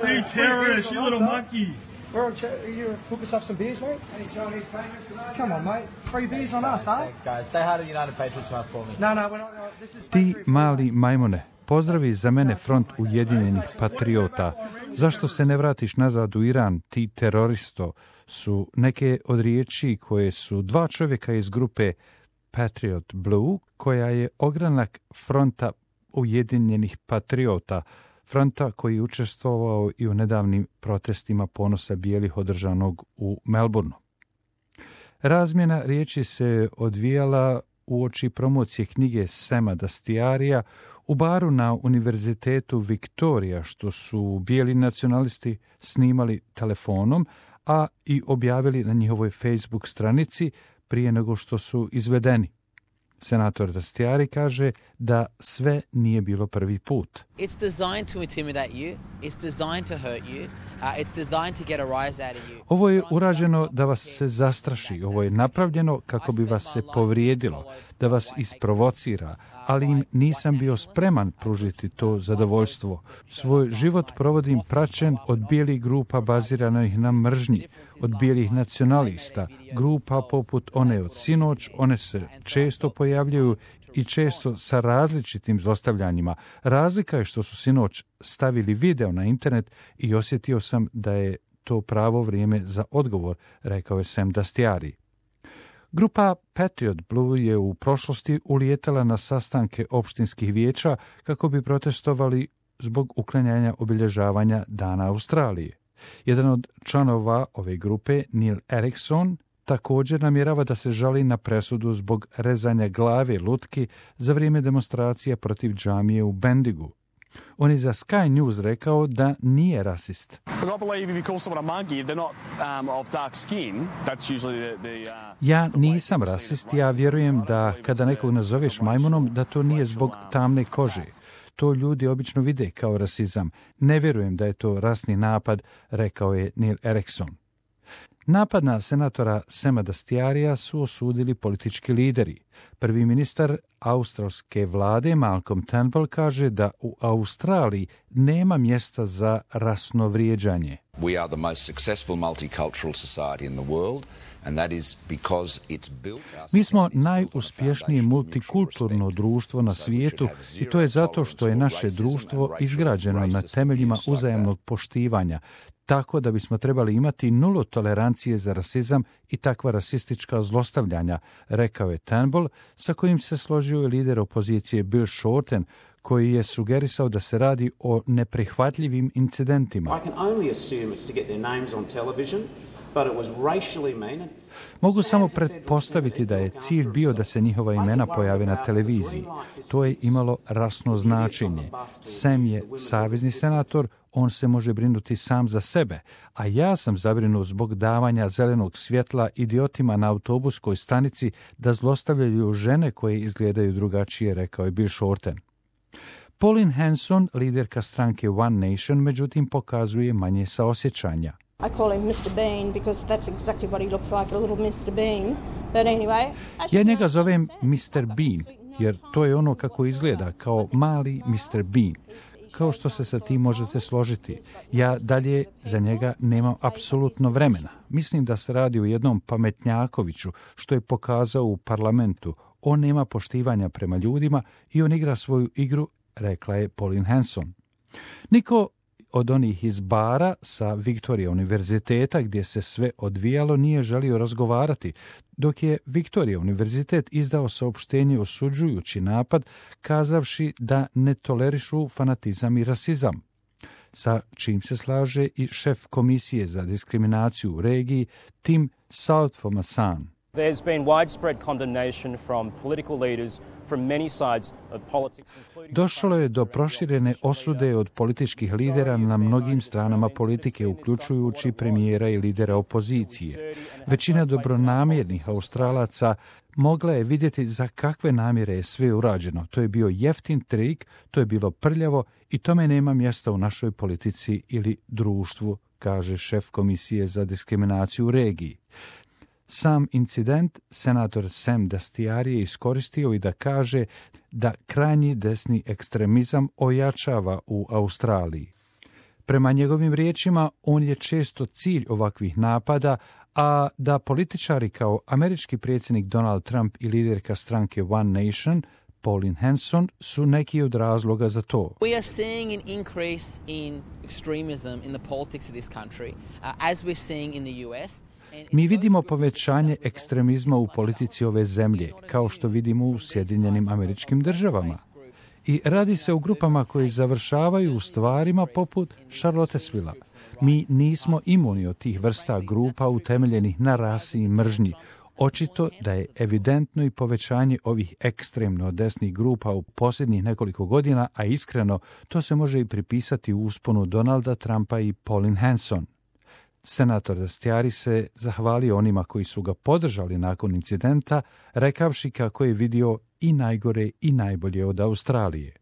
Hey, terrorist, you little monkey. You hook us up some beers, mate? Any Chinese patriots tonight? Come on, mate. Free beers on us, huh? Thanks, guys. Say hi to United Patriots Month for me. No, we're not. This is Ti mali majmune, pozdravi za mene Front Ujedinjenih patriota. Zašto se ne vratiš nazad u Iran, ti teroristo, su neke od riječi koje su dva čovjeka iz grupe Patriot Blue, koja je ogranak Fronta Ujedinjenih patriota, fronta koji je učestvovao i u nedavnim protestima ponosa bijelih održanog u Melbourneu. Razmjena riječi se odvijala uoči promocije knjige Sama Dastyarija u baru na Univerzitetu Victoria, što su bijeli nacionalisti snimali telefonom, a i objavili na njihovoj Facebook stranici prije nego što su izvedeni. Senator Dastyari kaže da sve nije bilo prvi put. It's designed to intimidate you, it's designed to hurt you, it's designed to get a rise out of you. Ovo je urađeno da vas se zastraši, ovo je napravljeno kako bi vas se povrijedilo, da vas isprovocira, ali im nisam bio spreman pružiti to zadovoljstvo. Svoj život provodim praćen od bijelih grupa baziranih na mržnji, od bijelih nacionalista, grupa poput one od sinoć, one se često pojavljaju i često sa različitim zlostavljanjima. Razlika je što su sinoć stavili video na internet i osjetio sam da je to pravo vrijeme za odgovor, rekao je Sam Dastyari. Grupa Patriot Blue je u prošlosti ulijetala na sastanke opštinskih vijeća kako bi protestovali zbog uklanjanja obilježavanja Dana Australije. Jedan od članova ove grupe, Neil Erikson, također namjerava da se žali na presudu zbog rezanja glave lutki za vrijeme demonstracija protiv džamije u Bendigu. On je za Sky News rekao da nije rasist. Ja nisam rasist, ja vjerujem da kada nekog nazoveš majmunom da to nije zbog tamne kože. To ljudi obično vide kao rasizam. Ne vjerujem da je to rasni napad, rekao je Neil Erikson. Napad na senatora Sama Dastyarija su osudili politički lideri. Prvi ministar australske vlade Malcolm Turnbull kaže da u Australiji nema mjesta za rasno vrijeđanje. We are the most successful multicultural society in the world. Mi smo najuspješnije multikulturno društvo na svijetu i to je zato što je naše društvo izgrađeno na temeljima uzajamnog poštivanja, tako da bismo trebali imati nulu tolerancije za rasizam i takva rasistička zlostavljanja, rekao je Turnbull, sa kojim se složio i lider opozicije Bill Shorten, koji je sugerisao da se radi o neprihvatljivim incidentima. Mogu samo pretpostaviti da je cilj bio da se njihova imena pojave na televiziji. To je imalo rasno značenje. Sam je savezni senator, on se može brinuti sam za sebe, a ja sam zabrinut zbog davanja zelenog svjetla idiotima na autobuskoj stanici da zlostavljaju žene koje izgledaju drugačije, rekao je Bill Shorten. Pauline Hanson, liderka stranke One Nation, međutim pokazuje manje saosjećanja. I call him Mr. Bean because that's exactly what he looks like, a little Mr. Bean. But anyway, ja njega zovem Mr. Bean, jer to je ono kako izgleda, kao mali Mr. Bean. Kao što se sa tim možete složiti. Ja dalje za njega nemam apsolutno vremena. Mislim da se radi o jednom pametnjakoviću, što je pokazao u parlamentu. On nema poštivanja prema ljudima i on igra svoju igru, rekla je Pauline Hanson. Niko od onih iz bara sa Victoria univerziteta gdje se sve odvijalo nije želio razgovarati, dok je Victoria univerzitet izdao saopštenje osuđujući napad, kazavši da ne tolerišu fanatizam i rasizam, sa čim se slaže i šef komisije za diskriminaciju u regiji Tim Southformasan. There's been widespread condemnation from political leaders from many sides of politics. Došlo je do proširene osude od političkih lidera na mnogim stranama politike, uključujući premijera i lidera opozicije. Većina dobronamjernih Australaca mogla je vidjeti za kakve namjere je sve urađeno. To je bio jeftin trik, to je bilo prljavo i tome nema mjesta u našoj politici ili društvu, kaže šef komisije za diskriminaciju u regiji. Sam incident senator Sam Dastyari je iskoristio i da kaže da krajnji desni ekstremizam ojačava u Australiji. Prema njegovim riječima, on je često cilj ovakvih napada, a da političari kao američki predsjednik Donald Trump i liderka stranke One Nation, Pauline Hanson, su neki od razloga za to. We are seeing an increase in extremism in the politics of this country, as we're seeing in the US. Mi vidimo povećanje ekstremizma u politici ove zemlje, kao što vidimo u Sjedinjenim Američkim Državama. I radi se o grupama koji završavaju u stvarima poput Charlottesvilla. Mi nismo imuni od tih vrsta grupa utemeljenih na rasi i mržnji. Očito da je evidentno i povećanje ovih ekstremno desnih grupa u posljednjih nekoliko godina, a iskreno to se može i pripisati u usponu Donalda Trumpa i Pauline Hanson. Senator Dastiari se zahvalio onima koji su ga podržali nakon incidenta, rekavši kako je vidio i najgore i najbolje od Australije.